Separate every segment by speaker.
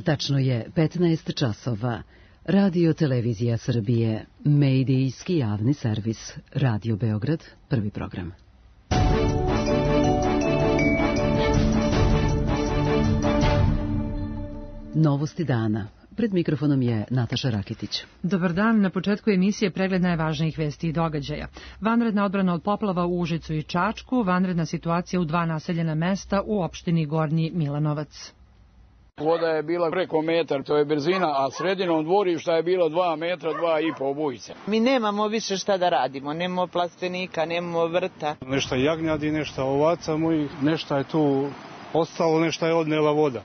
Speaker 1: Tačno je 15 časova. Radio Televizija Srbije, medijski javni servis, Radio Beograd, prvi program. Novosti dana. Pred mikrofonom je Nataša Rakitić.
Speaker 2: Dobar dan, na početku emisije pregled najvažnijih vesti i događaja. Vanredna odbrana od poplava u Užicu i Čačku, vanredna situacija u 2 naseljena mesta u opštini Gornji Milanovac.
Speaker 3: Voda je bila preko metar, to je brzina, a sredinom dvorišta je bilo 2 metra, 2,5 obujice.
Speaker 4: Mi nemamo više šta da radimo, nemamo plastenika, nemamo vrta.
Speaker 5: Nešto jagnjadi, nešto ovaca mojih, nešto je tu ostalo, nešto je odnela voda.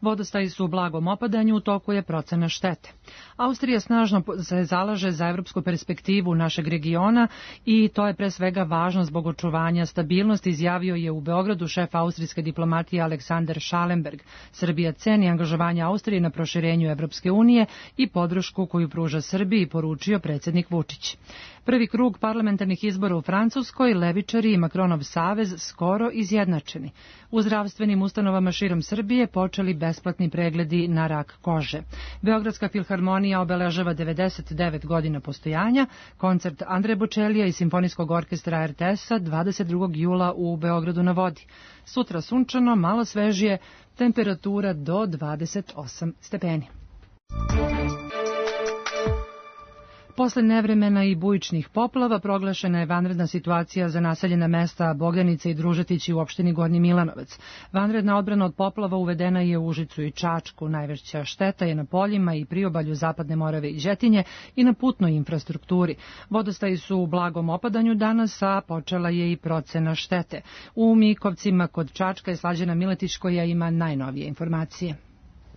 Speaker 2: Vodostaji su u blagom opadanju, u toku je procena štete. Austrija snažno se zalaže za evropsku perspektivu našeg regiona i to je pre svega važno zbog očuvanja stabilnosti, izjavio je u Beogradu šef austrijske diplomatije Aleksander Schallenberg. Srbija ceni angažovanje Austrije na proširenju Evropske unije i podršku koju pruža Srbiji, poručio predsjednik Vučić. Prvi krug parlamentarnih izbora u Francuskoj, levičari i Makronov savez skoro izjednačeni. U zdravstvenim ustanovama širom Srbije počeli besplatni pregledi na rak kože. Beogradska filharmonija obeležava 99 godina postojanja, koncert Andre Bočelija i Simfonijskog orkestra RTS-a 22. jula u Beogradu na vodi. Sutra sunčano, malo svežije, temperatura do 28 stepeni. Posle nevremena i bujičnih poplava proglašena je vanredna situacija za naseljena mesta Bogdanice i Družetići u opštini Gornji Milanovac. Vanredna odbrana od poplava uvedena je u Užicu i Čačku. Najveća šteta je na poljima i priobalju Zapadne Morave i Đetinje i na putnoj infrastrukturi. Vodostaji su u blagom opadanju danas, a počela je i procena štete. U Mikovcima kod Čačka je Slađana Miletić koja ima najnovije informacije.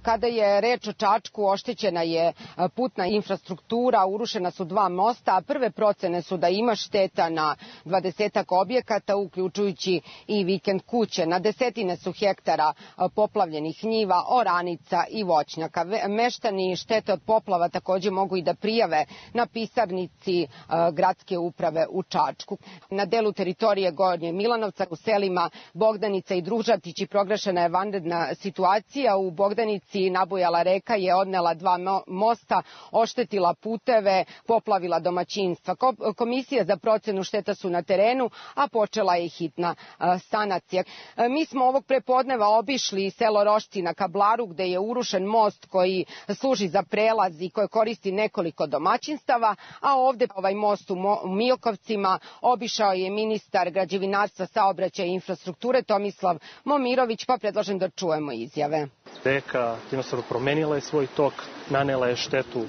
Speaker 6: Kada je reč o Čačku, oštećena je putna infrastruktura, urušena su 2 mosta, a prve procene su da ima šteta na 20-ak objekata, uključujući i vikend kuće. Na desetine su hektara poplavljenih njiva, oranica i voćnjaka. Meštani štete od poplava također mogu i da prijave na pisarnici gradske uprave u Čačku. Na delu teritorije Gornje Milanovca u selima Bogdanica i Družatići proglašena je vanredna situacija. U Bogdanici nabujala reka je odnela 2 mosta, oštetila puteve, poplavila domaćinstva. Komisija za procenu šteta su na terenu, a počela je hitna sanacija. Mi smo ovog prepodneva obišli selo Rošci na Kablaru, gde je urušen most koji služi za prelaz i koje koristi nekoliko domaćinstava, a ovde ovaj most u Milkovcima obišao je ministar građevinarstva, saobraćaja i infrastrukture Tomislav Momirović, pa predlažem da čujemo izjave.
Speaker 7: Reka jednostavno promenila je svoj tok, nanela je štetu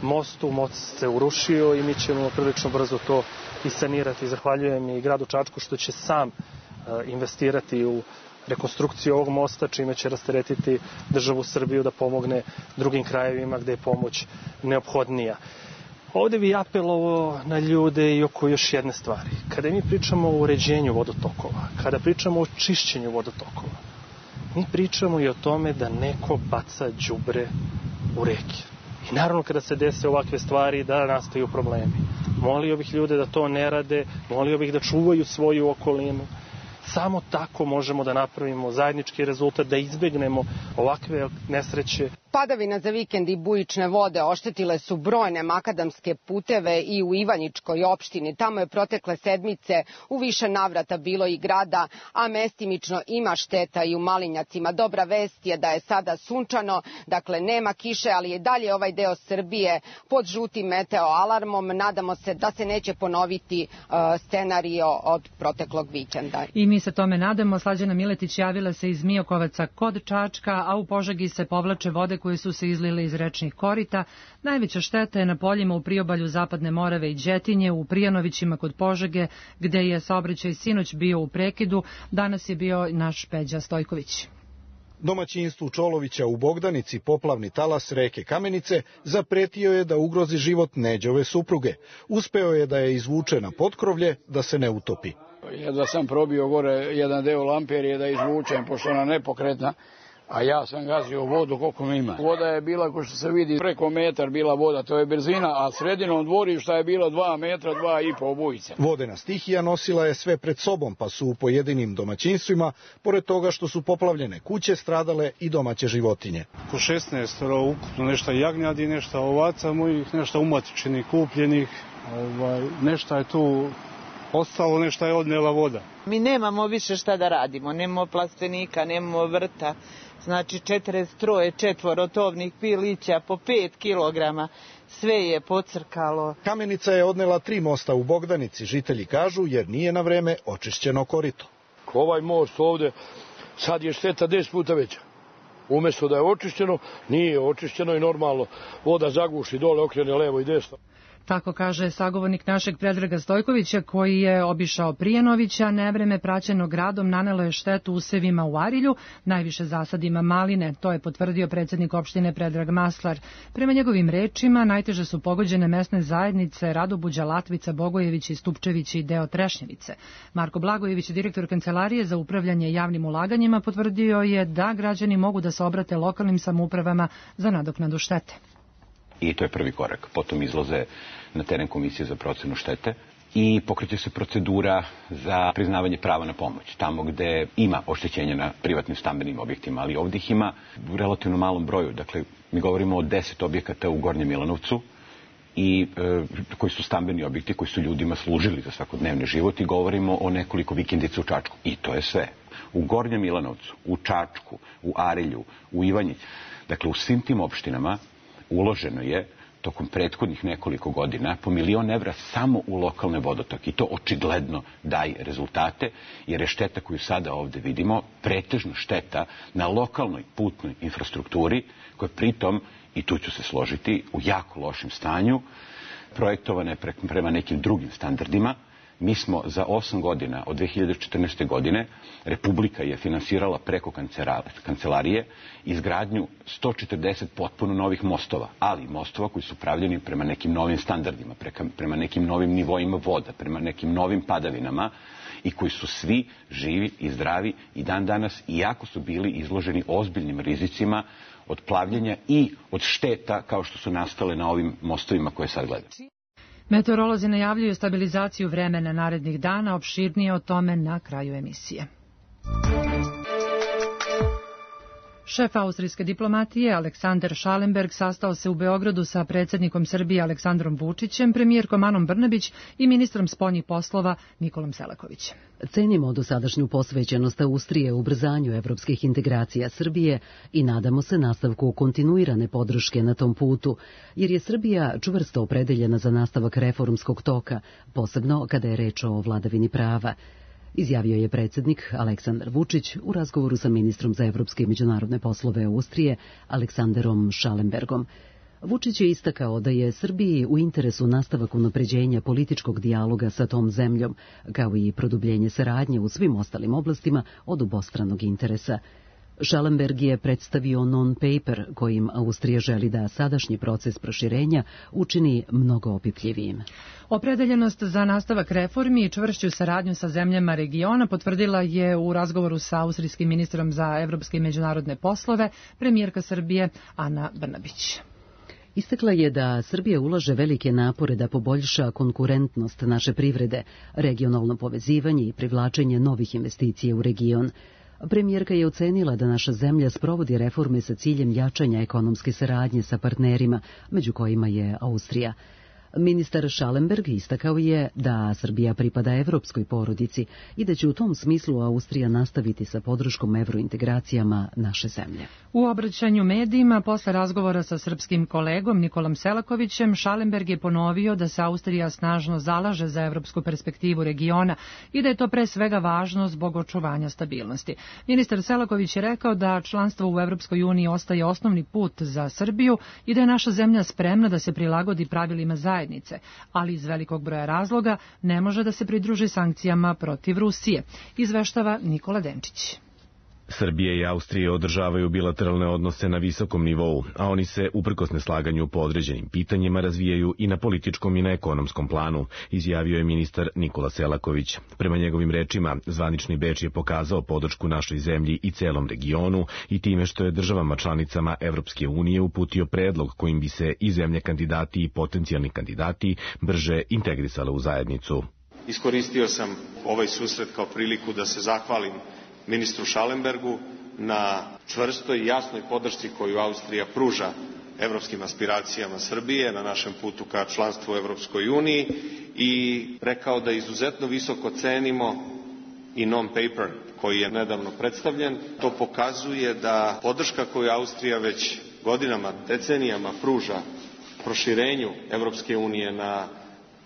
Speaker 7: mostu, most se urušio i mi ćemo prilično brzo to i sanirati. Zahvaljujem i gradu Čačku što će sam investirati u rekonstrukciju ovog mosta, čime će rasteretiti državu Srbiju da pomogne drugim krajevima gde je pomoć neophodnija. Ovde bi apelovao na ljude i oko još jedne stvari. Kada mi pričamo o uređenju vodotokova, kada pričamo o čišćenju vodotokova, mi pričamo i o tome da neko baca đubre u reke. I naravno kada se dese ovakve stvari da nastaju problemi. Molio bih ljude da to ne rade, molio bih da čuvaju svoju okolinu. Samo tako možemo da napravimo zajednički rezultat, da izbegnemo ovakve nesreće.
Speaker 6: Padavina za vikend i bujične vode oštetile su brojne makadamske puteve i u Ivanjičkoj opštini. Tamo je protekle sedmice u više navrata bilo i grada, a mestimično ima šteta i u Malinjacima. Dobra vest je da je sada sunčano, dakle nema kiše, ali je dalje ovaj deo Srbije pod žutim meteo alarmom. Nadamo se da se neće ponoviti scenario od proteklog vikenda.
Speaker 2: I mi se tome nadamo. Slađana Miletić javila se iz Miokovaca kod Čačka, a u Požegi se povlače vode koje su se izlile iz rečnih korita. Najveća šteta je na poljima u priobalju Zapadne Morave i Đetinje, u Prijanovićima kod Požege, gde je saobraćaj sinoć bio u prekidu. Danas je bio naš Peđa Stojković.
Speaker 8: Domaćinstvu Čolovića u Bogdanici poplavni talas reke Kamenice zapretio je da ugrozi život Neđove supruge. Uspeo je da je izvuče na potkrovlje da se ne utopi.
Speaker 3: Jedva sam probio gore jedan deo lamperije da izvučem, pošto ona nepokretna. A ja sam gazio vodu koliko mi ima. Voda je bila, ko što se vidi, preko metar bila voda, to je brzina, a sredinom dvorišta je bilo 2 metra, 2,5 obojice.
Speaker 8: Vodena stihija nosila je sve pred sobom, pa su u pojedinim domaćinstvima, pored toga što su poplavljene kuće, stradale i domaće životinje.
Speaker 5: Po 16 ukupno, nešto jagnjadi, nešto ovaca mojih, nešto umatičenih, kupljenih, nešto je tu ostalo, nešto je odnela voda.
Speaker 4: Mi nemamo više šta da radimo, nemamo plastenika, nemamo vrta, znači 43 četvorotovnih pilića po 5 kilograma, sve je pocrkalo.
Speaker 8: Kamenica je odnela 3 mosta u Bogdanici, žitelji kažu, jer nije na vreme očišćeno korito.
Speaker 9: Ovaj most ovde, sad je šteta 10 puta veća. Umjesto da je očišćeno, nije očišćeno i normalno voda zaguši dole, okrene levo i desno.
Speaker 2: Tako kaže sagovornik našeg Predraga Stojkovića, koji je obišao Prijenovića. Nevreme praćeno gradom nanelo je štetu usevima u Arilju, najviše zasadima maline. To je potvrdio predsjednik opštine Predrag Maslar. Prema njegovim rečima, najteže su pogođene mesne zajednice Radobuđa, Latvica, Bogojević i Stupčević i deo Trešnjevice. Marko Blagojević, direktor Kancelarije za upravljanje javnim ulaganjima, potvrdio je da građani mogu da se obrate lokalnim samoupravama za nadoknadu štete.
Speaker 10: I to je prvi korak. Potom izlaze na teren komisije za procenu štete i pokreće se procedura za priznavanje prava na pomoć. Tamo gde ima oštećenja na privatnim stambenim objektima, ali ovdje ih ima u relativno malom broju. Dakle, mi govorimo o 10 objekata u Gornjem Milanovcu i koji su stambeni objekti, koji su ljudima služili za svakodnevni život, i govorimo o nekoliko vikendica u Čačku. I to je sve. U Gornjem Milanovcu, u Čačku, u Arilju, u Ivanjici. Dakle, u svim tim opštinama uloženo je tokom prethodnih nekoliko godina po 1 milion evra samo u lokalne vodotoke. I to očigledno daje rezultate, jer je šteta koju sada ovdje vidimo pretežno šteta na lokalnoj putnoj infrastrukturi, koja pritom, i tu ću se složiti, u jako lošem stanju, projektovana je prema nekim drugim standardima. Mi smo za 8 godina, od 2014. godine, Republika je finansirala preko kancelarije izgradnju 140 potpuno novih mostova, ali mostova koji su pravljeni prema nekim novim standardima, prema nekim novim nivoima voda, prema nekim novim padavinama, i koji su svi živi i zdravi i dan danas, iako su bili izloženi ozbiljnim rizicima od plavljenja i od šteta kao što su nastale na ovim mostovima koje sad gledamo.
Speaker 2: Meteorolozi najavljuju stabilizaciju vremena narednih dana, opširnije o tome na kraju emisije. Šef austrijske diplomatije Aleksander Schallenberg sastao se u Beogradu sa predsjednikom Srbije Aleksandrom Vučićem, premijerkom Anom Brnabić i ministrom spoljnih poslova Nikolom Selakovićem.
Speaker 1: Cenimo dosadašnju posvećenost Austrije u ubrzanju evropskih integracija Srbije i nadamo se nastavku kontinuirane podrške na tom putu, jer je Srbija čvrsto opredeljena za nastavak reformskog toka, posebno kada je reč o vladavini prava, izjavio je predsjednik Aleksandar Vučić u razgovoru sa ministrom za evropske i međunarodne poslove Austrije Aleksanderom Schallenbergom. Vučić je istakao da je Srbiji u interesu nastavak unapređenja političkog dijaloga sa tom zemljom, kao i produbljenje saradnje u svim ostalim oblastima od obostranog interesa. Schallenberg je predstavio non-paper kojim Austrija želi da sadašnji proces proširenja učini mnogo opipljivijim.
Speaker 2: Opredeljenost za nastavak reformi i čvršću saradnju sa zemljama regiona potvrdila je u razgovoru sa austrijskim ministrom za evropske i međunarodne poslove premijerka Srbije Ana Brnabić.
Speaker 1: Istakla je da Srbija ulaže velike napore da poboljša konkurentnost naše privrede, regionalno povezivanje i privlačenje novih investicija u region. Premijerka je ocenila da naša zemlja sprovodi reforme sa ciljem jačanja ekonomske saradnje sa partnerima, među kojima je Austrija. Ministar Schallenberg istakao je da Srbija pripada evropskoj porodici i da će u tom smislu Austrija nastaviti sa podrškom evrointegracijama naše zemlje.
Speaker 2: U obraćanju medijima posle razgovora sa srpskim kolegom Nikolom Selakovićem, Schallenberg je ponovio da se Austrija snažno zalaže za evropsku perspektivu regiona i da je to pre svega važno zbog očuvanja stabilnosti. Ministar Selaković je rekao da članstvo u Evropskoj uniji ostaje osnovni put za Srbiju i da je naša zemlja spremna da se prilagodi pravilima zajednice, ali iz velikog broja razloga ne može da se pridruži sankcijama protiv Rusije, izveštava Nikola Denčić.
Speaker 11: Srbija i Austrija održavaju bilateralne odnose na visokom nivou, a oni se, uprkos neslaganju po određenim pitanjima, razvijaju i na političkom i na ekonomskom planu, izjavio je ministar Nikola Selaković. Prema njegovim rečima, zvanični Beč je pokazao podršku našoj zemlji i celom regionu i time što je državama članicama Evropske unije uputio predlog kojim bi se i zemlje kandidati i potencijalni kandidati brže integrisale u zajednicu.
Speaker 12: Iskoristio sam ovaj susret kao priliku da se zahvalim ministru Schallenbergu na čvrstoj i jasnoj podršci koju Austrija pruža evropskim aspiracijama Srbije na našem putu ka članstvu u Evropskoj uniji i rekao da izuzetno visoko cenimo i non-paper koji je nedavno predstavljen. To pokazuje da podrška koju Austrija već godinama, decenijama pruža proširenju Evropske unije na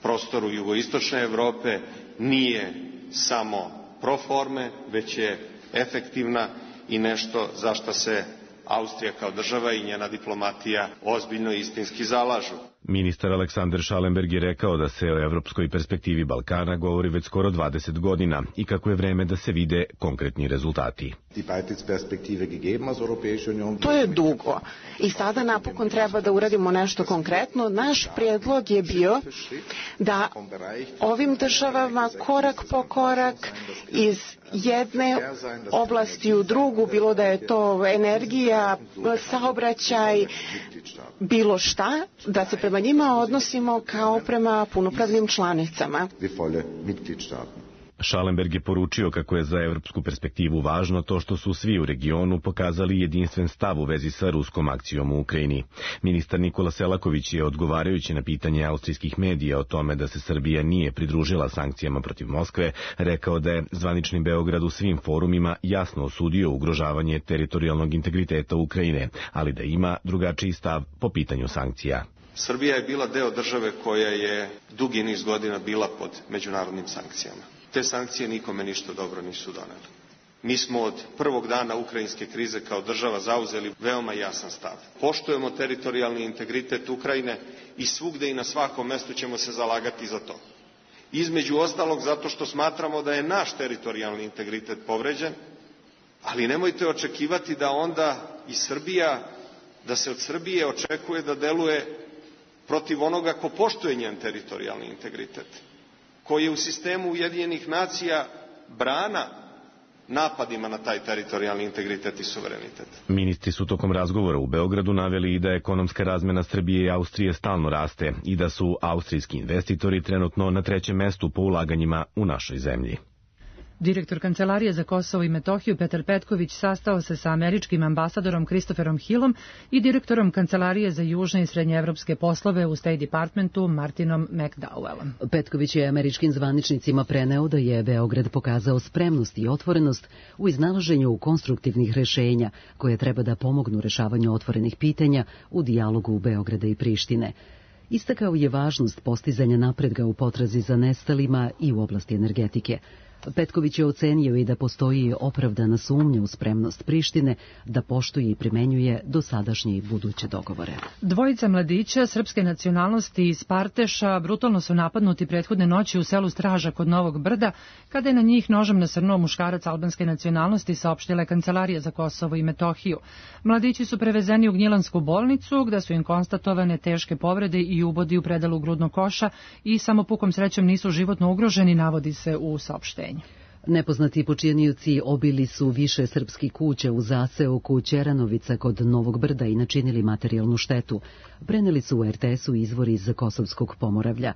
Speaker 12: prostoru jugoistočne Evrope nije samo pro forme, već je efektivna i nešto za što se Austrija kao država i njena diplomatija ozbiljno i istinski zalažu.
Speaker 11: Ministar Aleksandar Schallenberg je rekao da se o evropskoj perspektivi Balkana govori već skoro 20 godina i kako je vreme da se vide konkretni rezultati.
Speaker 13: To je dugo i sada napokon treba da uradimo nešto konkretno. Naš prijedlog je bio da ovim državama korak po korak iz jedne oblasti u drugu, bilo da je to energija, saobraćaj, bilo šta, da se prema njima odnosimo kao prema punopravnim članicama.
Speaker 11: Schallenberg je poručio kako je za evropsku perspektivu važno to što su svi u regionu pokazali jedinstven stav u vezi sa ruskom akcijom u Ukrajini. Ministar Nikola Selaković je, odgovarajući na pitanje austrijskih medija o tome da se Srbija nije pridružila sankcijama protiv Moskve, rekao da je zvanični Beograd u svim forumima jasno osudio ugrožavanje teritorijalnog integriteta Ukrajine, ali da ima drugačiji stav po pitanju sankcija.
Speaker 12: Srbija je bila deo države koja je dugi niz godina bila pod međunarodnim sankcijama. Te sankcije nikome ništa dobro nisu donele. Mi smo od prvog dana ukrajinske krize kao država zauzeli veoma jasan stav. Poštujemo teritorijalni integritet Ukrajine i svugde i na svakom mestu ćemo se zalagati za to. Između ostalog zato što smatramo da je naš teritorijalni integritet povređen, ali nemojte očekivati da onda i Srbija, da se od Srbije očekuje da deluje protiv onoga ko poštuje njen teritorijalni integritet, koji je u sistemu Ujedinjenih nacija brana napadima na taj teritorijalni integritet i suverenitet.
Speaker 11: Ministri su tokom razgovora u Beogradu naveli i da ekonomska razmena Srbije i Austrije stalno raste i da su austrijski investitori trenutno na 3. mestu po ulaganjima u našoj zemlji.
Speaker 2: Direktor Kancelarije za Kosovo i Metohiju Petar Petković sastao se sa američkim ambasadorom Christopherom Hillom i direktorom Kancelarije za južne i srednjeevropske poslove u State Departmentu Martinom McDowellom.
Speaker 1: Petković je američkim zvaničnicima preneo da je Beograd pokazao spremnost i otvorenost u iznalaženju konstruktivnih rešenja koje treba da pomognu rešavanju otvorenih pitanja u dijalogu Beograda i Prištine. Istakao je važnost postizanja napretka u potrazi za nestalima i u oblasti energetike. Petković je ocenio i da postoji opravdana sumnja u spremnost Prištine da poštuje i primenjuje dosadašnje i buduće dogovore.
Speaker 2: Dvojica mladića srpske nacionalnosti iz Parteša brutalno su napadnuti prethodne noći u selu Straža kod Novog Brda, kada je na njih nožem nasrnuo muškarac albanske nacionalnosti, saopštila je Kancelarija za Kosovo i Metohiju. Mladići su prevezeni u Gnjilansku bolnicu, gde su im konstatovane teške povrede i ubodi u predalu grudnog koša i samo pukom srećom nisu životno ugroženi, navodi se u saopštenju.
Speaker 1: Nepoznati počinioci obili su više srpskih kuća u zaseoku Ćeranovica kod Novog Brda i načinili materijalnu štetu. Preneli su u RTS-u izvori iz Kosovskog Pomoravlja.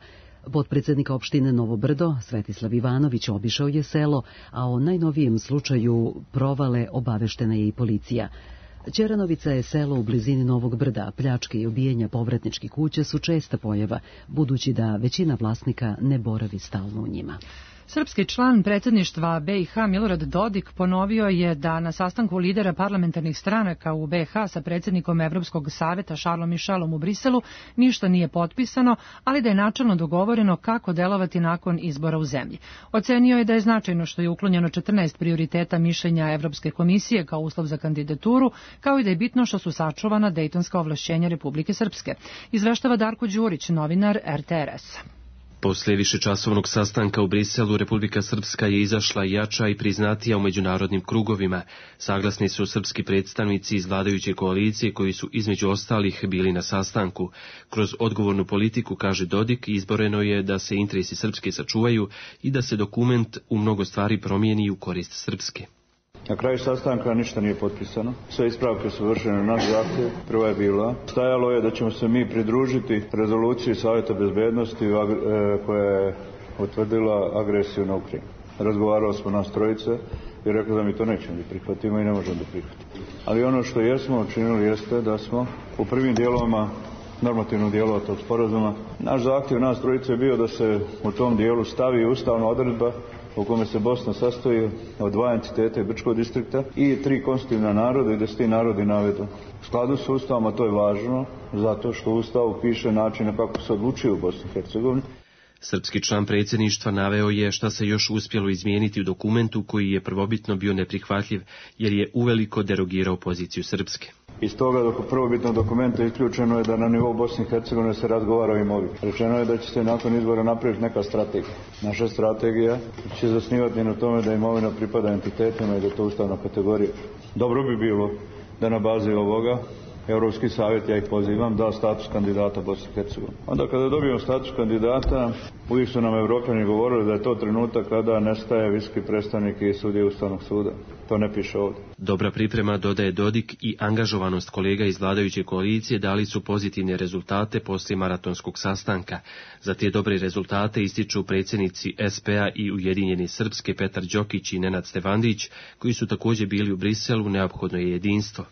Speaker 1: Potpredsednik opštine Novo Brdo, Svetislav Ivanović, obišao je selo, a o najnovijem slučaju provale obaveštena je i policija. Ćeranovica je selo u blizini Novog Brda, pljačke i obijenja povratničkih kuća su česta pojava, budući da većina vlasnika ne boravi stalno u njima.
Speaker 2: Srpski član predsjedništva BiH Milorad Dodik ponovio je da na sastanku lidera parlamentarnih stranaka u BiH sa predsjednikom Evropskog saveta Charlesom Michelom u Briselu ništa nije potpisano, ali da je načelno dogovoreno kako delovati nakon izbora u zemlji. Ocenio je da je značajno što je uklonjeno 14 prioriteta mišljenja Evropske komisije kao uslov za kandidaturu, kao i da je bitno što su sačuvana dejtonska ovlašćenja Republike Srpske. Izveštava Darko Đurić, novinar RTRS-a.
Speaker 14: Posle višečasovnog sastanka u Briselu, Republika Srpska je izašla jača i priznatija u međunarodnim krugovima. Saglasni su srpski predstavnici iz vladajuće koalicije koji su između ostalih bili na sastanku. Kroz odgovornu politiku, kaže Dodik, izboreno je da se interesi Srpske sačuvaju i da se dokument u mnogo stvari promijeni u korist Srpske.
Speaker 15: Na kraju sastanka ništa nije potpisano. Sve ispravke su vršene na naš zahtjev. Prva je bila. Stajalo je da ćemo se mi pridružiti rezoluciji Savjeta bezbednosti koja je utvrdila agresiju na Ukrajinu. Razgovarali smo nas trojice i rekli da mi to nećemo da prihvatimo i ne možemo da prihvatimo. Ali ono što jesmo učinili jeste da smo u prvim dijelovima normativnog dijelova tog sporazuma, naš zahtjev nas trojice je bio da se u tom dijelu stavi ustavna odredba u kome se Bosna sastoji od 2 entiteta Brčkog distrikta i 3 konstitutivna naroda i da se ti narodi navedu. U skladu s Ustavom, a to je važno, zato što u Ustavu piše način kako se odlučuje u Bosni i Hercegovini.
Speaker 14: Srpski član predsjedništva naveo je šta se još uspjelo izmijeniti u dokumentu koji je prvobitno bio neprihvatljiv, jer je uveliko derogirao poziciju Srpske.
Speaker 15: Iz toga prvobitnog dokumenta isključeno je da na nivou Bosne i Hercegovine se razgovara o imovini. Rečeno je da će se nakon izbora napraviti neka strategija. Naša strategija će zasnivati na tome da imovina pripada entitetima i da je to ustavna kategorija. Dobro bi bilo da na bazi ovoga Europski savjet, ja ih pozivam, da status kandidata Bosne i Hercegovine. Onda kada dobijemo status kandidata, uvijek su nam Evropljani govorili da je to trenutak kada nestaje visoki predstavnik i sudija Ustavnog suda. To ne piše ovdje.
Speaker 14: Dobra priprema, dodaje Dodik, i angažovanost kolega iz vladajuće koalicije dali su pozitivne rezultate poslije maratonskog sastanka. Za te dobre rezultate ističu predsjednici SP-a i Ujedinjene Srpske Petar Đokić i Nenad Stevandić, koji su također bili u Briselu. Neophodno je jedinstvo.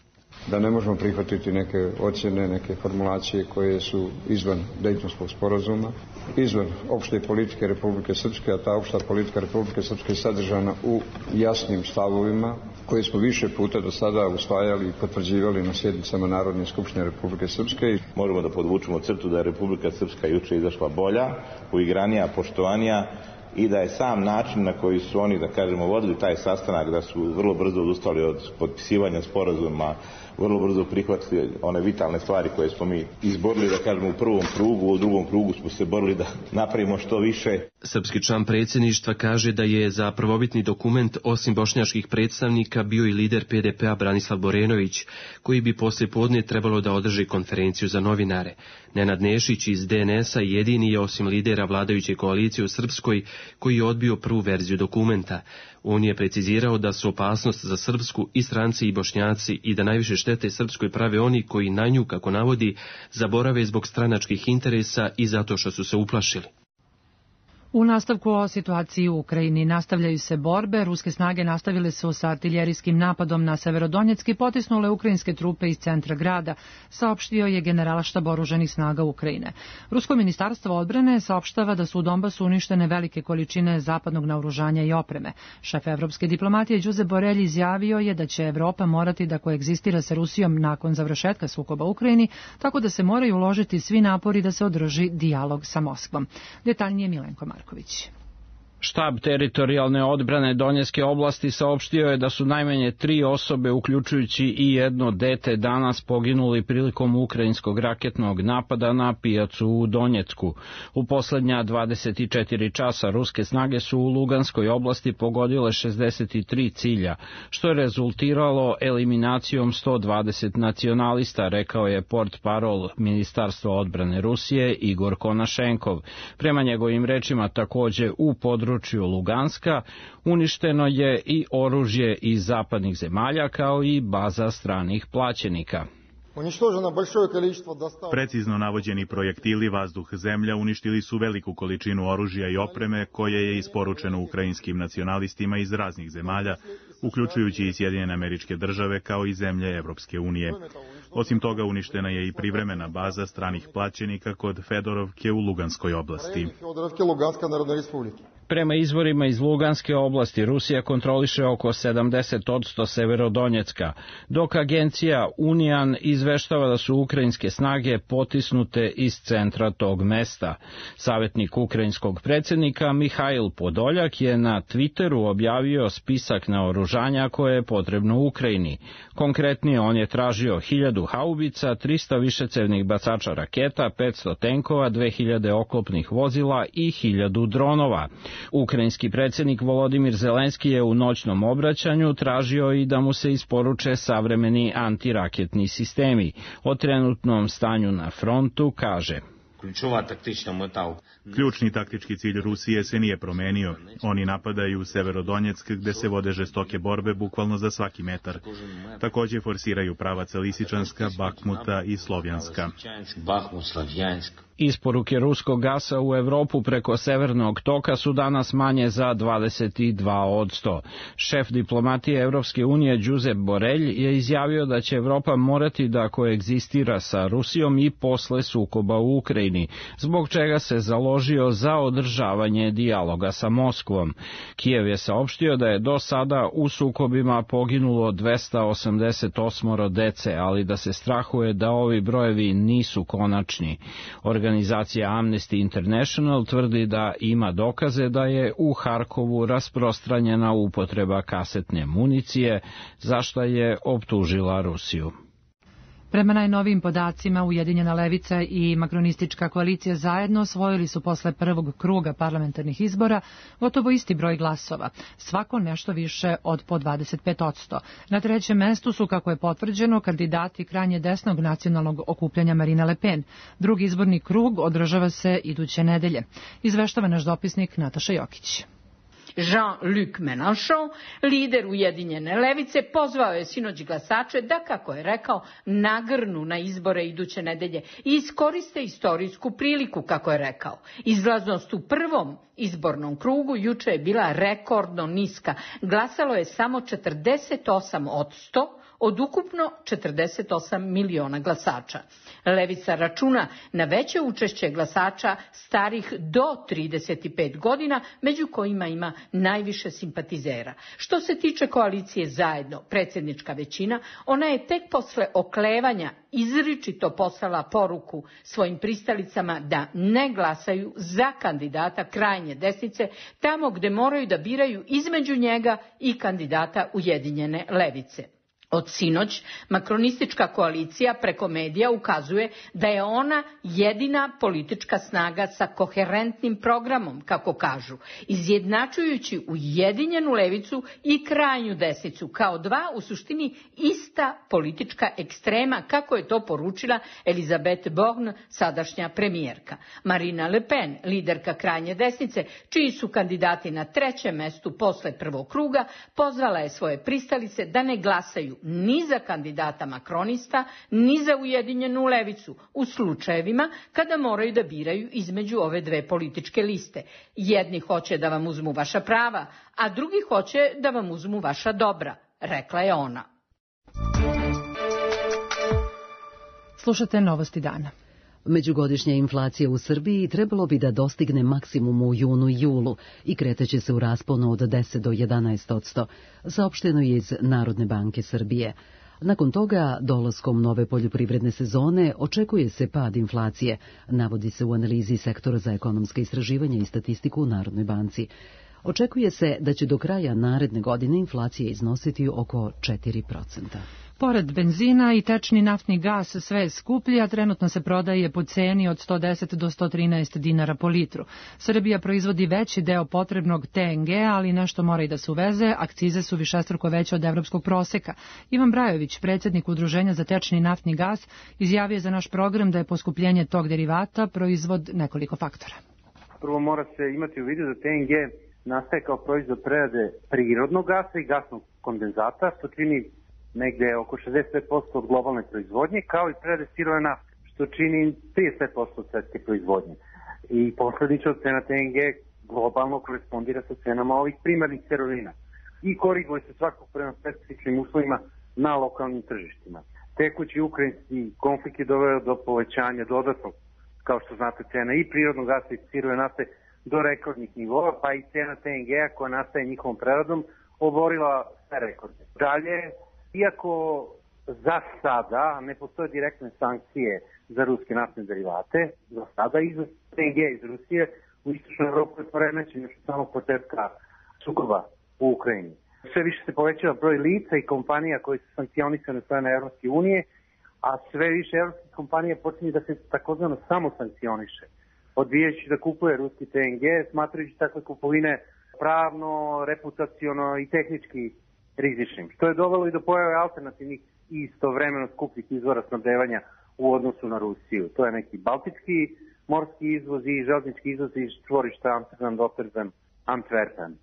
Speaker 16: Da ne možemo prihvatiti neke ocjene, neke formulacije koje su izvan Dejtonskog sporazuma, izvan opšte politike Republike Srpske, a ta opšta politika Republike Srpske je sadržana u jasnim stavovima koje smo više puta do sada usvajali i potvrđivali na sjednicama Narodne skupštine Republike Srpske.
Speaker 17: Možemo da podvučemo crtu da je Republika Srpska juče izašla bolja, uigranija, poštovanija, i da je sam način na koji su oni, da kažemo, vodili taj sastanak, da su vrlo brzo odustali od potpisivanja sporazuma, vrlo brzo prihvatili one vitalne stvari koje smo mi izborili, da kažemo, u prvom krugu, u drugom krugu smo se borili da napravimo što više.
Speaker 14: Srpski član predsjedništva kaže da je za prvobitni dokument osim bošnjačkih predstavnika bio i lider PDP-a Branislav Borenović, koji bi poslije podne trebalo da održi konferenciju za novinare. Nenad Nešić iz DNS-a jedini je osim lidera vladajuće koalicije u Srpskoj koji je odbio prvu verziju dokumenta. On je precizirao da su opasnost za Srpsku i stranci i Bošnjaci i da najviše štete Srpskoj prave oni koji na nju, kako navodi, zaborave zbog stranačkih interesa i zato što su se uplašili.
Speaker 2: U nastavku o situaciji u Ukrajini nastavljaju se borbe. Ruske snage nastavile su sa artiljerijskim napadom na Severodonjeck i potisnule ukrajinske trupe iz centra grada, saopštio je Generalštab oružanih snaga Ukrajine. Rusko ministarstvo odbrane saopštava da su u Donbasu uništene velike količine zapadnog naoružanja i opreme. Šef evropske diplomatije Josep Borelj izjavio je da će Evropa morati da koegzistira sa Rusijom nakon završetka sukoba u Ukrajini, tako da se moraju uložiti svi napori da se održi dijalog sa Moskvom. Detaljnije Milenko Marković.
Speaker 18: Štab teritorijalne odbrane Donjeske oblasti saopštio je da su najmanje 3 osobe, uključujući i jedno dete, danas poginuli prilikom ukrajinskog raketnog napada na pijacu u Donjecku. U posljednja 24 časa ruske snage su u Luganskoj oblasti pogodile 63 cilja, što je rezultiralo eliminacijom 120 nacionalista, rekao je portparol Ministarstva odbrane Rusije Igor Konašenkov. Prema njegovim rečima, također u području Luganska uništeno je i oružje iz zapadnih zemalja kao i baza stranih plaćenika.
Speaker 19: Precizno navođeni projektili vazduh-zemlja uništili su veliku količinu oružja i opreme koje je isporučeno ukrajinskim nacionalistima iz raznih zemalja, uključujući i Sjedinjene Američke Države kao i zemlje Evropske unije. Osim toga uništena je i privremena baza stranih plaćenika kod Fedorovke u Luganskoj oblasti.
Speaker 18: Prema izvorima iz Luganske oblasti, Rusija kontroliše oko 70% Severodonjecka, dok agencija Unian izveštava da su ukrajinske snage potisnute iz centra tog mesta. Savjetnik ukrajinskog predsjednika Mihail Podoljak je na Twitteru objavio spisak naoružanja koje je potrebno Ukrajini. Konkretnije, on je tražio 1000 haubica, 300 višecevnih bacača raketa, 500 tenkova, 2000 oklopnih vozila i 1000 dronova. Ukrajinski predsjednik Volodimir Zelenski je u noćnom obraćanju tražio i da mu se isporuče savremeni antiraketni sistemi. O trenutnom stanju na frontu kaže:
Speaker 19: Ključni taktički cilj Rusije se nije promenio. Oni napadaju Severodonjeck gde se vode žestoke borbe bukvalno za svaki metar. Također forsiraju pravaca Lisičanska, Bakhmuta i Slovjanska.
Speaker 18: Isporuke ruskog gasa u Evropu preko Severnog toka su danas manje za 22%. Šef diplomatije Evropske unije Josep Borrell je izjavio da će Evropa morati da koegzistira sa Rusijom i posle sukoba u Ukrajini, zbog čega se založio za održavanje dijaloga sa Moskvom. Kijev je saopštio da je do sada u sukobima poginulo 288 dece, ali da se strahuje da ovi brojevi nisu konačni. Organizacija Amnesty International tvrdi da ima dokaze da je u Harkovu rasprostranjena upotreba kasetne municije, za što je optužila Rusiju.
Speaker 2: Prema najnovijim podacima, Ujedinjena levica i makronistička koalicija zajedno osvojili su posle prvog kruga parlamentarnih izbora gotovo isti broj glasova, svako nešto više od po 25%. Na trećem mestu su, kako je potvrđeno, kandidati krajnje desnog nacionalnog okupljanja Marine Le Pen. Drugi izborni krug održava se iduće nedelje. Izveštava naš dopisnik Nataša Jokić.
Speaker 20: Jean-Luc Mélenchon, lider Ujedinjene levice, pozvao je sinoć glasače da, kako je rekao, nagrnu na izbore iduće nedelje i iskoriste istorijsku priliku, kako je rekao. Izlaznost u prvom izbornom krugu juče je bila rekordno niska. Glasalo je samo 48% od ukupno 48 miliona glasača. Levica računa na veće učešće glasača starih do 35 godina, među kojima ima najviše simpatizera. Što se tiče koalicije Zajedno, predsjednička većina, ona je tek posle oklevanja izričito poslala poruku svojim pristalicama da ne glasaju za kandidata krajnje desnice, tamo gde moraju da biraju između njega i kandidata Ujedinjene levice. Od sinoć, makronistička koalicija preko medija ukazuje da je ona jedina politička snaga sa koherentnim programom, kako kažu, izjednačujući Ujedinjenu levicu i krajnju desnicu kao dva u suštini ista politička ekstrema, kako je to poručila Elisabeth Borne, sadašnja premijerka. Marine Le Pen, liderka krajnje desnice, čiji su kandidati na trećem mestu posle prvog kruga, pozvala je svoje pristalice da ne glasaju ni za kandidata makronista, ni za Ujedinjenu levicu u slučajevima kada moraju da biraju između ove dve političke liste. Jedni hoće da vam uzmu vaša prava, a drugi hoće da vam uzmu vaša dobra, rekla je ona.
Speaker 2: Slušate Novosti dana.
Speaker 1: Međugodišnja inflacija u Srbiji trebalo bi da dostigne maksimum u junu i julu i kreteće se u rasponu od 10 do 11%, saopšteno je iz Narodne banke Srbije. Nakon toga, dolaskom nove poljoprivredne sezone, očekuje se pad inflacije, navodi se u analizi Sektora za ekonomske istraživanja i statistiku u Narodnoj banci. Očekuje se da će do kraja naredne godine inflacija iznositi oko 4%.
Speaker 2: Pored benzina i tečni naftni gas sve je skuplji, a trenutno se prodaje po ceni od 110 do 113 dinara po litru. Srbija proizvodi veći deo potrebnog TNG, ali nešto mora i da se uveze, akcize su višestruko veće od evropskog proseka. Ivan Brajović, predsjednik Udruženja za tečni naftni gas, izjavio za naš program da je poskupljenje tog derivata proizvod nekoliko faktora.
Speaker 21: Prvo mora se imati u vidu da TNG nastaje kao proizvod prerade prirodnog gasa i gasnog kondenzata, što čini negde oko 65% od globalne proizvodnje, kao i prerade sirove nafte, što čini 35% od svetske proizvodnje. I posledično cena TNG globalno korespondira sa cenama ovih primarnih sirovina i koriguje se svakog prema specifičnim uslovima na lokalnim tržištima. Tekući ukrajinski konflikt je doveo do povećanja dodatnog, kao što znate, cena i prirodnog gasa i sirove nafte do rekordnih nivoa, pa i cena TNG-a koja nastaje njihovom preradom oborila sve rekorde. Dalje, iako za sada ne postoje direktne sankcije za ruske naftne derivate, za sada izvoz TNG iz Rusije u istočnoj Evropi je poremećen još od samog početka sukoba u Ukrajini. Sve više se povećava broj lica i kompanija koji su sankcionisane od strane Evropske unije, a sve više evropskih kompanija počinje da se takozvano samo sankcioniše, odbijajući da kupuje ruski TNG, smatrajući takve kupovine pravno, reputaciono i tehnički rizičnim, što je dovelo i do pojave alternativnih i istovremeno skupljih izvora snabdevanja u odnosu na Rusiju. To je neki baltički morski izvoz i železnički izvoz iz čvorišta Amsterdam, Rotterdam, Antwerpen.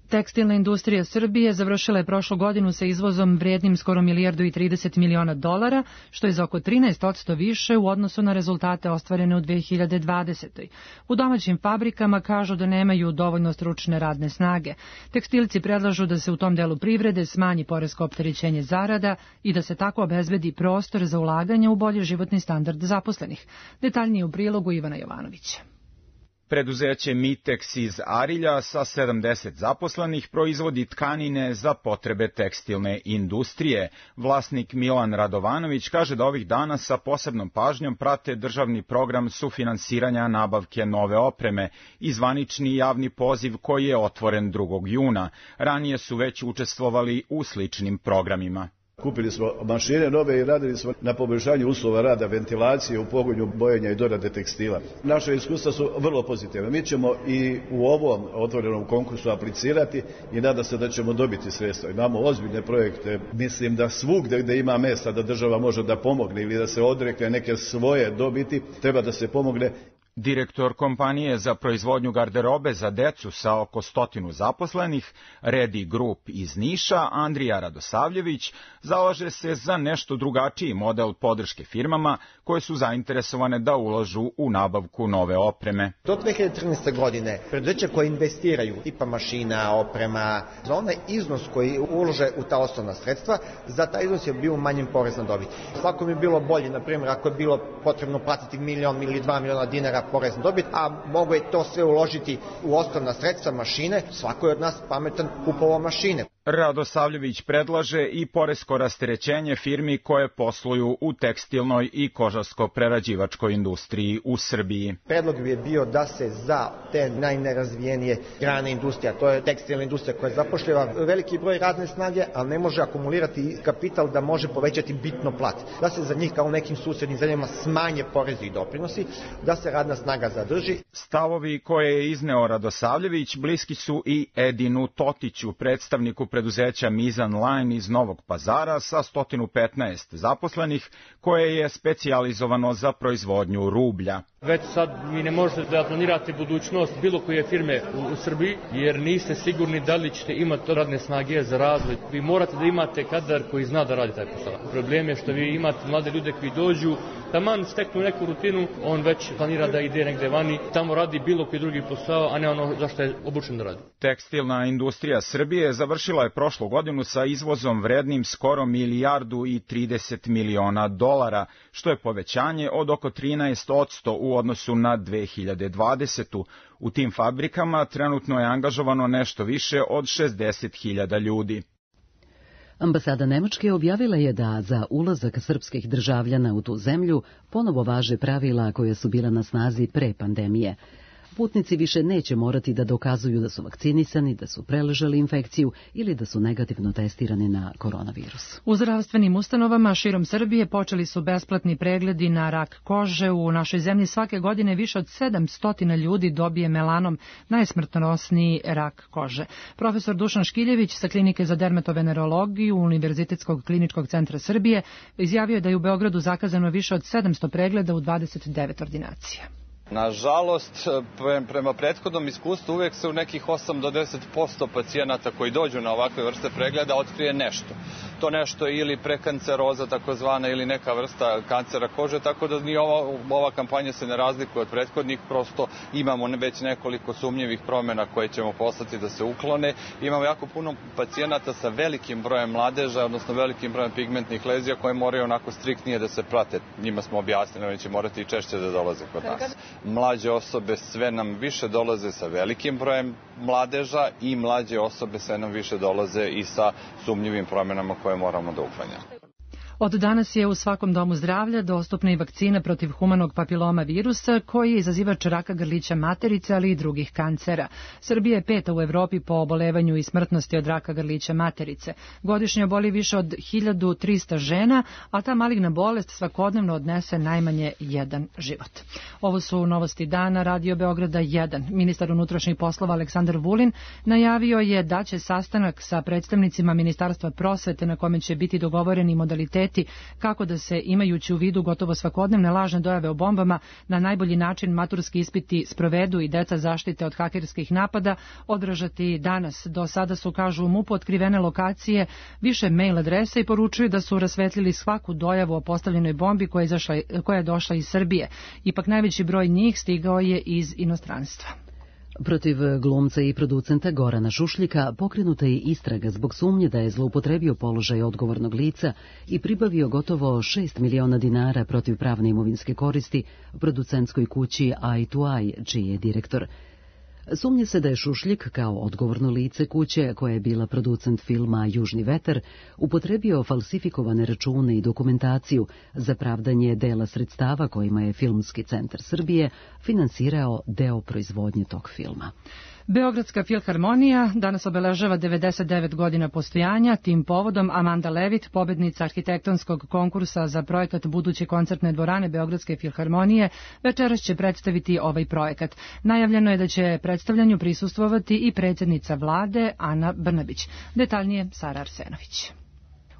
Speaker 2: Tekstilna industrija Srbije završila je prošlu godinu sa izvozom vrijednim skoro $1,30 miliona, što je za oko 13% više u odnosu na rezultate ostvarene u 2020. U domaćim fabrikama kažu da nemaju dovoljno stručne radne snage. Tekstilci predlažu da se u tom delu privrede smanji poresko opterećenje zarada i da se tako obezbedi prostor za ulaganje u bolji životni standard zaposlenih. Detaljnije u prilogu Ivana Jovanovića.
Speaker 7: Preduzeće Mitex iz Arilja sa 70 zaposlenih proizvodi tkanine za potrebe tekstilne industrije. Vlasnik Milan Radovanović kaže da ovih dana sa posebnom pažnjom prate državni program sufinansiranja nabavke nove opreme i zvanični javni poziv koji je otvoren 2. juna. Ranije su već učestvovali u sličnim programima.
Speaker 22: Kupili smo mašine nove i radili smo na poboljšanju uslova rada, ventilacije u pogonu bojenja i dorade tekstila. Naše iskustva su vrlo pozitivne. Mi ćemo i u ovom otvorenom konkursu aplicirati i nada se da ćemo dobiti sredstva. Imamo ozbiljne projekte. Mislim da svugde gde ima mesta da država može da pomogne ili da se odrekne neke svoje dobiti, treba da se pomogne.
Speaker 7: Direktor kompanije za proizvodnju garderobe za decu sa oko 100 zaposlenih, Redi Group iz Niša, Andrija Radosavljević, zalaže se za nešto drugačiji model podrške firmama koje su zainteresovane da ulažu u nabavku nove opreme.
Speaker 23: Do 2013. godine preduzeća koje investiraju tipa mašina, oprema, za onaj iznos koji ulože u ta osnovna sredstva, za taj iznos je bio manjen porez na dobit. Svako mi bilo bolje, na primjer, ako je bilo potrebno platiti $1 ili $2 miliona dinara porez na dobit, a mogo je to sve uložiti u osnovna sredstva, mašine, svako je od nas pametan kupovao mašine.
Speaker 7: Radosavljević predlaže i poresko rasterećenje firmi koje posluju u tekstilnoj i kožarsko-prerađivačkoj industriji u Srbiji.
Speaker 23: Predlog bi je bio da se za te najnerazvijenije grane industrija, to je tekstilna industrija koja zapošljava veliki broj radne snage, ali ne može akumulirati kapital da može povećati bitno plat. Da se za njih kao u nekim susednim zemljama smanje porezi i doprinosi, da se radna snaga zadrži.
Speaker 7: Stavovi koje je izneo Radosavljević bliski su i Edinu Totiću, predstavniku preduzeća Mizan Line iz Novog Pazara sa 115 zaposlenih, koje je specijalizovano za proizvodnju rublja.
Speaker 24: Već sad vi ne možete da planirate budućnost bilo koje firme u Srbiji, jer niste sigurni da li ćete imati radne snage za razvoj. Vi morate da imate kadar koji zna da radi taj posao. Problem je što vi imate mlade ljude koji dođu, taman steknu neku rutinu, on već planira da ide negde vani, tamo radi bilo koji drugi posao, a ne ono zašto je obučen da radi.
Speaker 7: Tekstilna industrija Srbije završila je prošlu godinu sa izvozom vrednim skoro $1,30 miliona, što je povećanje od oko 13% u odnosu na 2020. U tim fabrikama trenutno je angažovano nešto više od 60.000 ljudi.
Speaker 1: Ambasada Nemačke objavila je da za ulazak srpskih državljana u tu zemlju ponovo važe pravila koja su bila na snazi pre pandemije. Putnici više neće morati da dokazuju da su vakcinisani, da su preležali infekciju ili da su negativno testirani na koronavirus.
Speaker 2: U zdravstvenim ustanovama širom Srbije počeli su besplatni pregledi na rak kože. U našoj zemlji svake godine više od 700 ljudi dobije melanom, najsmrtonosniji rak kože. Profesor Dušan Škiljević sa Klinike za dermatovenerologiju Univerzitetskog kliničkog centra Srbije izjavio je da je u Beogradu zakazano više od 700 pregleda u 29 ordinacija.
Speaker 25: Nažalost, prema prethodnom iskustvu uvijek se u nekih 8 do 10% pacijenata koji dođu na ovakve vrste pregleda otkrije nešto. To nešto ili prekanceroza takozvana ili neka vrsta kancera kože, tako da ni ova kampanja se ne razlikuje od prethodnih, prosto imamo već nekoliko sumnjivih promjena koje ćemo poslati da se uklone. Imamo jako puno pacijenata sa velikim brojem mladeža, odnosno velikim brojem pigmentnih lezija koje moraju onako striktnije da se prate. Njima smo objasnili, oni će morati i češće da dolaze kod nas. mlađe osobe sve nam više dolaze sa velikim brojem mladeža i mlađe osobe sve nam više dolaze i sa sumnjivim promjenama koje moramo da uklanjamo.
Speaker 2: Od danas je u svakom domu zdravlja dostupna i vakcina protiv humanog papiloma virusa koji je izazivač raka grlića materice, ali i drugih kancera. Srbija je 5. u Evropi po obolevanju i smrtnosti od raka grlića materice. Godišnje oboli više od 1300 žena, a ta maligna bolest svakodnevno odnese najmanje jedan život. Ovo su novosti dana Radio Beograda 1. Ministar unutrašnjih poslova Aleksandar Vulin najavio je da će sastanak sa predstavnicima Ministarstva prosvete na kome će biti dogovoreni modaliteti kako da se, imajući u vidu gotovo svakodnevne lažne dojave o bombama, na najbolji način maturski ispiti sprovedu i deca zaštite od hakerskih napada održati danas. Do sada su, kažu u MUP-u, otkrivene lokacije, više mail adrese i poručuju da su rasvetlili svaku dojavu o postavljenoj bombi koja je došla iz Srbije. Ipak najveći broj njih stigao je iz inostranstva.
Speaker 1: Protiv glumca i producenta Gorana Šušljika pokrenuta je istraga zbog sumnje da je zloupotrebio položaj odgovornog lica i pribavio gotovo 6 miliona dinara protiv pravne imovinske koristi producentskoj kući Eye to Eye, čiji je direktor. Sumnje se da je Šušljik, kao odgovorno lice kuće, koja je bila producent filma Južni vetar, upotrebio falsifikovane račune i dokumentaciju za pravdanje dela sredstava kojima je Filmski centar Srbije finansirao deo proizvodnje tog filma.
Speaker 2: Beogradska filharmonija danas obeležava 99 godina postojanja. Tim povodom Amanda Levitt, pobednica arhitektonskog konkursa za projekat buduće koncertne dvorane Beogradske filharmonije, večeras će predstaviti ovaj projekat. Najavljeno je da će predstavljanju prisustvovati i predsjednica vlade Ana Brnabić. Detaljnije Sara Arsenović.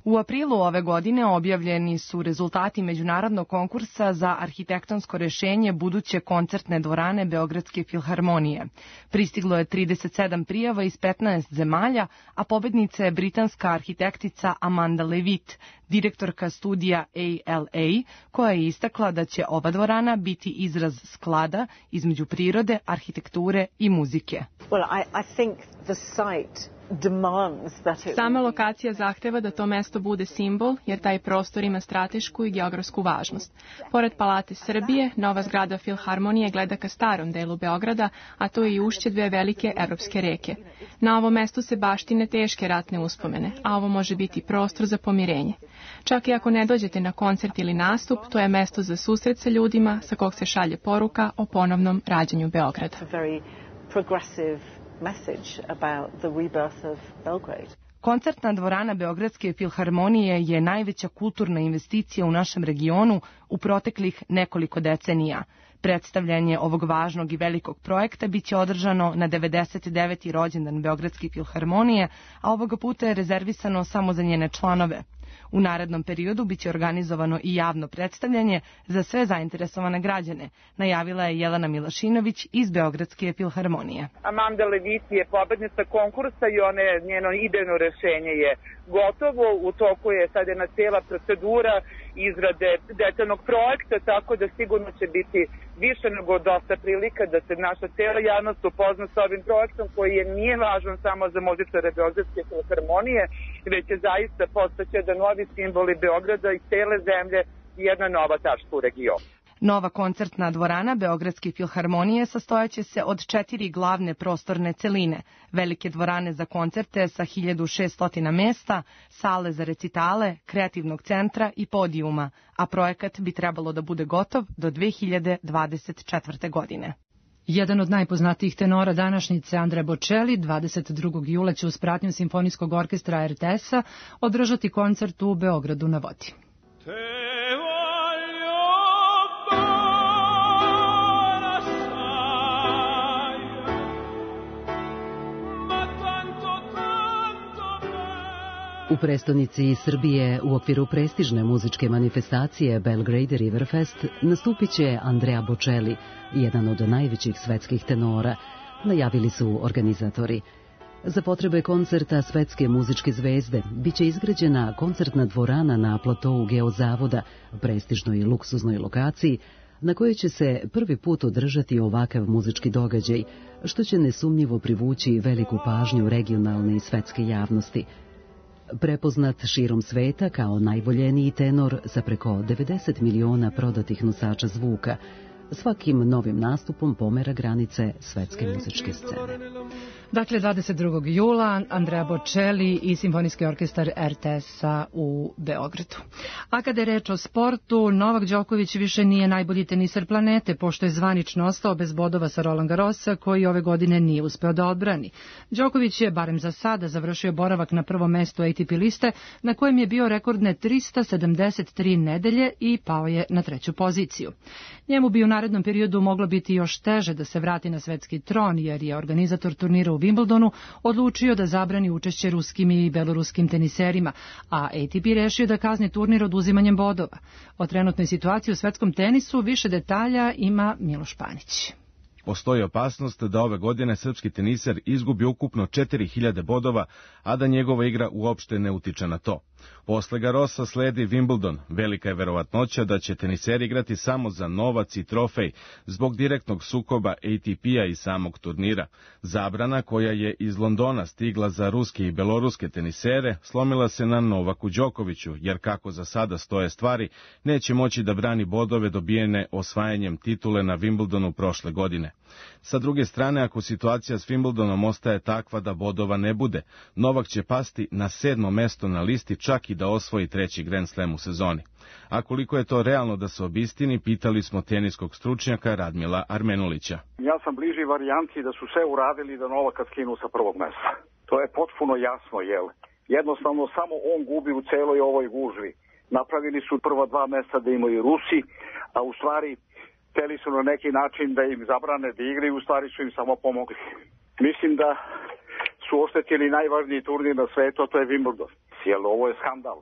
Speaker 3: U aprilu ove godine objavljeni su rezultati međunarodnog konkursa za arhitektonsko rešenje buduće koncertne dvorane Beogradske filharmonije. Pristiglo je 37 prijava iz 15 zemalja, a pobednica je britanska arhitektica Amanda Levitt, direktorka studija ALA, koja je istakla da će ova dvorana biti izraz sklada između prirode, arhitekture i muzike.
Speaker 4: Sama lokacija zahteva da to mesto bude simbol, jer taj prostor ima stratešku i geografsku važnost. Pored Palate Srbije, nova zgrada Filharmonije gleda ka starom delu Beograda, a to je i ušće dve velike evropske reke. Na ovom mestu se baštine teške ratne uspomene, a ovo može biti prostor za pomirenje. Čak i ako ne dođete na koncert ili nastup, to je mesto za susret sa ljudima sa kog se šalje poruka o ponovnom rađanju Beograda.
Speaker 3: Koncertna dvorana Beogradske filharmonije je najveća kulturna investicija u našem regionu u proteklih nekoliko decenija. Predstavljanje ovog važnog i velikog projekta biće održano na 99. rođendan Beogradske filharmonije, a ovoga puta je rezervisano samo za njene članove. U narednom periodu biće organizovano i javno predstavljanje za sve zainteresovane građane, najavila je Jelena Milašinović iz Beogradske filharmonije.
Speaker 5: Amanda Levitt je pobednica konkursa i njeno idejno rešenje je gotovo. U toku je sad jedna cijela procedura izrade detaljnog projekta, tako da sigurno će biti više nego dosta prilika da se naša cijela javnost upozna sa ovim projektom koji nije važan samo za muzičare Beogradske filharmonije, već je zaista postaće da novi simboli Beograda i cele zemlje jedna nova tačka u regionu.
Speaker 3: Nova koncertna dvorana Beogradske filharmonije sastojaće se od 4 glavne prostorne celine, velike dvorane za koncerte sa 1600 mesta, sale za recitale, kreativnog centra i podijuma, a projekat bi trebalo da bude gotov do 2024. godine.
Speaker 2: Jedan od najpoznatijih tenora današnjice, Andrea Bocelli, 22. jula će uz pratnju Simfonijskog orkestra RTS-a održati koncert u Beogradu na vodi.
Speaker 1: U prestonici Srbije u okviru prestižne muzičke manifestacije Belgrade Riverfest nastupit će Andrea Bocelli, jedan od najvećih svetskih tenora, najavili su organizatori. Za potrebe koncerta svetske muzičke zvezde biće izgrađena koncertna dvorana na platou Geozavoda, prestižnoj luksuznoj lokaciji, na kojoj će se prvi put održati ovakav muzički događaj, što će nesumnjivo privući veliku pažnju regionalne i svetske javnosti. Prepoznat širom sveta kao najvoljeniji tenor sa preko 90 miliona prodatih nosača zvuka, svakim novim nastupom pomera granice svetske muzičke scene.
Speaker 2: Dakle, 22. jula Andrea Bocelli i Simfonijski orkestar RTS-a u Beogradu. A kada je reč o sportu, Novak Đoković više nije najbolji teniser planete, pošto je zvanično ostao bez bodova sa Roland Garrosa, koji ove godine nije uspeo da odbrani. Đoković je, barem za sada, završio boravak na prvom mestu ATP liste, na kojem je bio rekordne 373 nedelje i pao je na 3. poziciju. Njemu bi u narednom periodu moglo biti još teže da se vrati na svetski tron, jer je organizator turnira u Wimbledonu odlučio da zabrani učešće ruskim i beloruskim teniserima, a ATP rešio da kazni turnir oduzimanjem bodova. O trenutnoj situaciji u svetskom tenisu više detalja ima Miloš Panić.
Speaker 11: Postoji opasnost da ove godine srpski teniser izgubi ukupno 4000 bodova, a da njegova igra uopšte ne utiče na to. Posle Garrosa sledi Wimbledon. Velika je verovatnoća da će teniseri igrati samo za novac i trofej zbog direktnog sukoba ATP-a i samog turnira. Zabrana koja je iz Londona stigla za ruske i beloruske tenisere slomila se na Novaku Đokoviću, jer kako za sada stoje stvari, neće moći da brani bodove dobijene osvajanjem titule na Wimbledonu prošle godine. Sa druge strane, ako situacija s Wimbledonom ostaje takva da bodova ne bude, Novak će pasti na 7. mesto na listi, čak i da osvoji 3. Grand Slam u sezoni. A koliko je to realno da se obistini, pitali smo teniskog stručnjaka Radmila Armenulića.
Speaker 6: Ja sam bliži varijanti da su sve uradili da Novaka skinu sa prvog mesta. To je potpuno jasno, jel? Jednostavno samo on gubi u celoj ovoj gužvi. Napravili su prva 2 mesta da imaju Rusi, a u stvari hteli su na neki način da im zabrane da igraju, u stvari su im samo pomogli. Mislim da su oštetili najvažniji turnir na svetu, a to je Wimbledon. Jer ovo je skandal.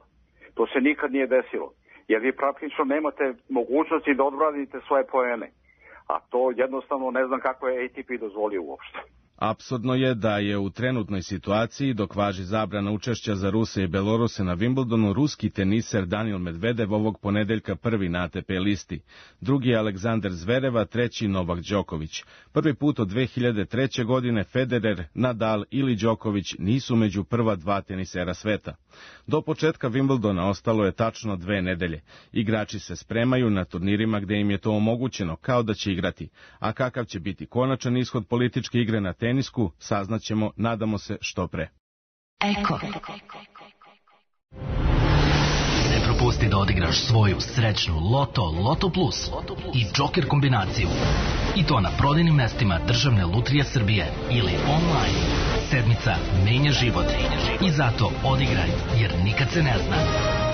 Speaker 6: To se nikad nije desilo. Jer vi praktično nemate mogućnosti da odbranite svoje poene. A to jednostavno ne znam kako je ATP dozvolio uopšte.
Speaker 11: Apsurdno je da je u trenutnoj situaciji, dok važi zabrana učešća za Ruse i Beloruse na Wimbledonu, ruski teniser Daniil Medvedev ovog ponedeljka prvi na ATP listi. Drugi je Aleksandar Zverev, a treći Novak Đoković. Prvi put od 2003. godine Federer, Nadal ili Đoković nisu među prva 2 tenisera sveta. Do početka Wimbledona ostalo je tačno 2 nedelje. Igrači se spremaju na turnirima gde im je to omogućeno, kao da će igrati. A kakav će biti konačan ishod političke igre na tenisku, saznaćemo, nadamo se, što pre.
Speaker 8: Eko. Ne propusti da odigraš svoju srećnu Loto Plus i Joker kombinaciju. I to na prodajnim mestima Državne lutrije Srbije ili online. Sedmica menja život. I zato odigraj, jer nikad se ne zna.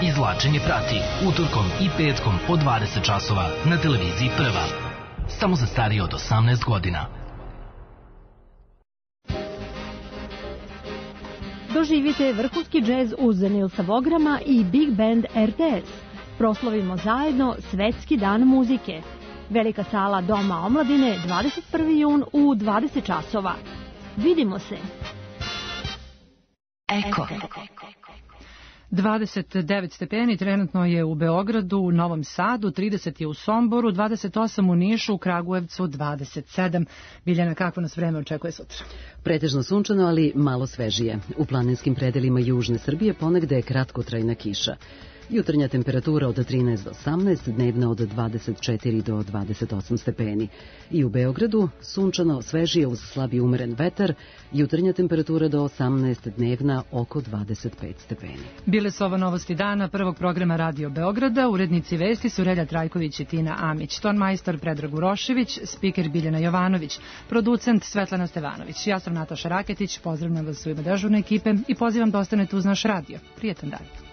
Speaker 8: Izvlačenje prati utorkom i petkom od 20 časova na televiziji Prva. Samo za starije od 18 godina.
Speaker 9: Doživite vrhunski džez uz Nilsa Vograma i Big Band RTS. Proslavimo zajedno Svetski dan muzike. Velika sala Doma omladine, 21. jun u 20 časova. Vidimo se.
Speaker 8: Eko.
Speaker 2: 29 stepeni trenutno je u Beogradu, u Novom Sadu, 30 je u Somboru, 28 u Nišu, u Kragujevcu 27. Biljana, kakvo nas vreme očekuje sutra?
Speaker 1: Pretežno sunčano, ali malo svežije. U planinskim predelima južne Srbije ponegde je kratkotrajna kiša. Jutarnja temperatura od 13 do 18, dnevna od 24 do 28 stepeni. I u Beogradu sunčano, svežije uz slabi umeren vetar, jutarnja temperatura do 18, dnevna oko 25 stepeni.
Speaker 2: Bile su ovo novosti dana prvog programa Radio Beograda. Urednici vesti su Relja Trajković i Tina Amić, tonmajstor Predrag Urošević, spiker Biljana Jovanović, producent Svetlana Stevanović. Ja sam Nataša Raketić, pozdravljam vas u ime dežurne ekipe i pozivam da ostanete uz naš radio. Prijetan dan.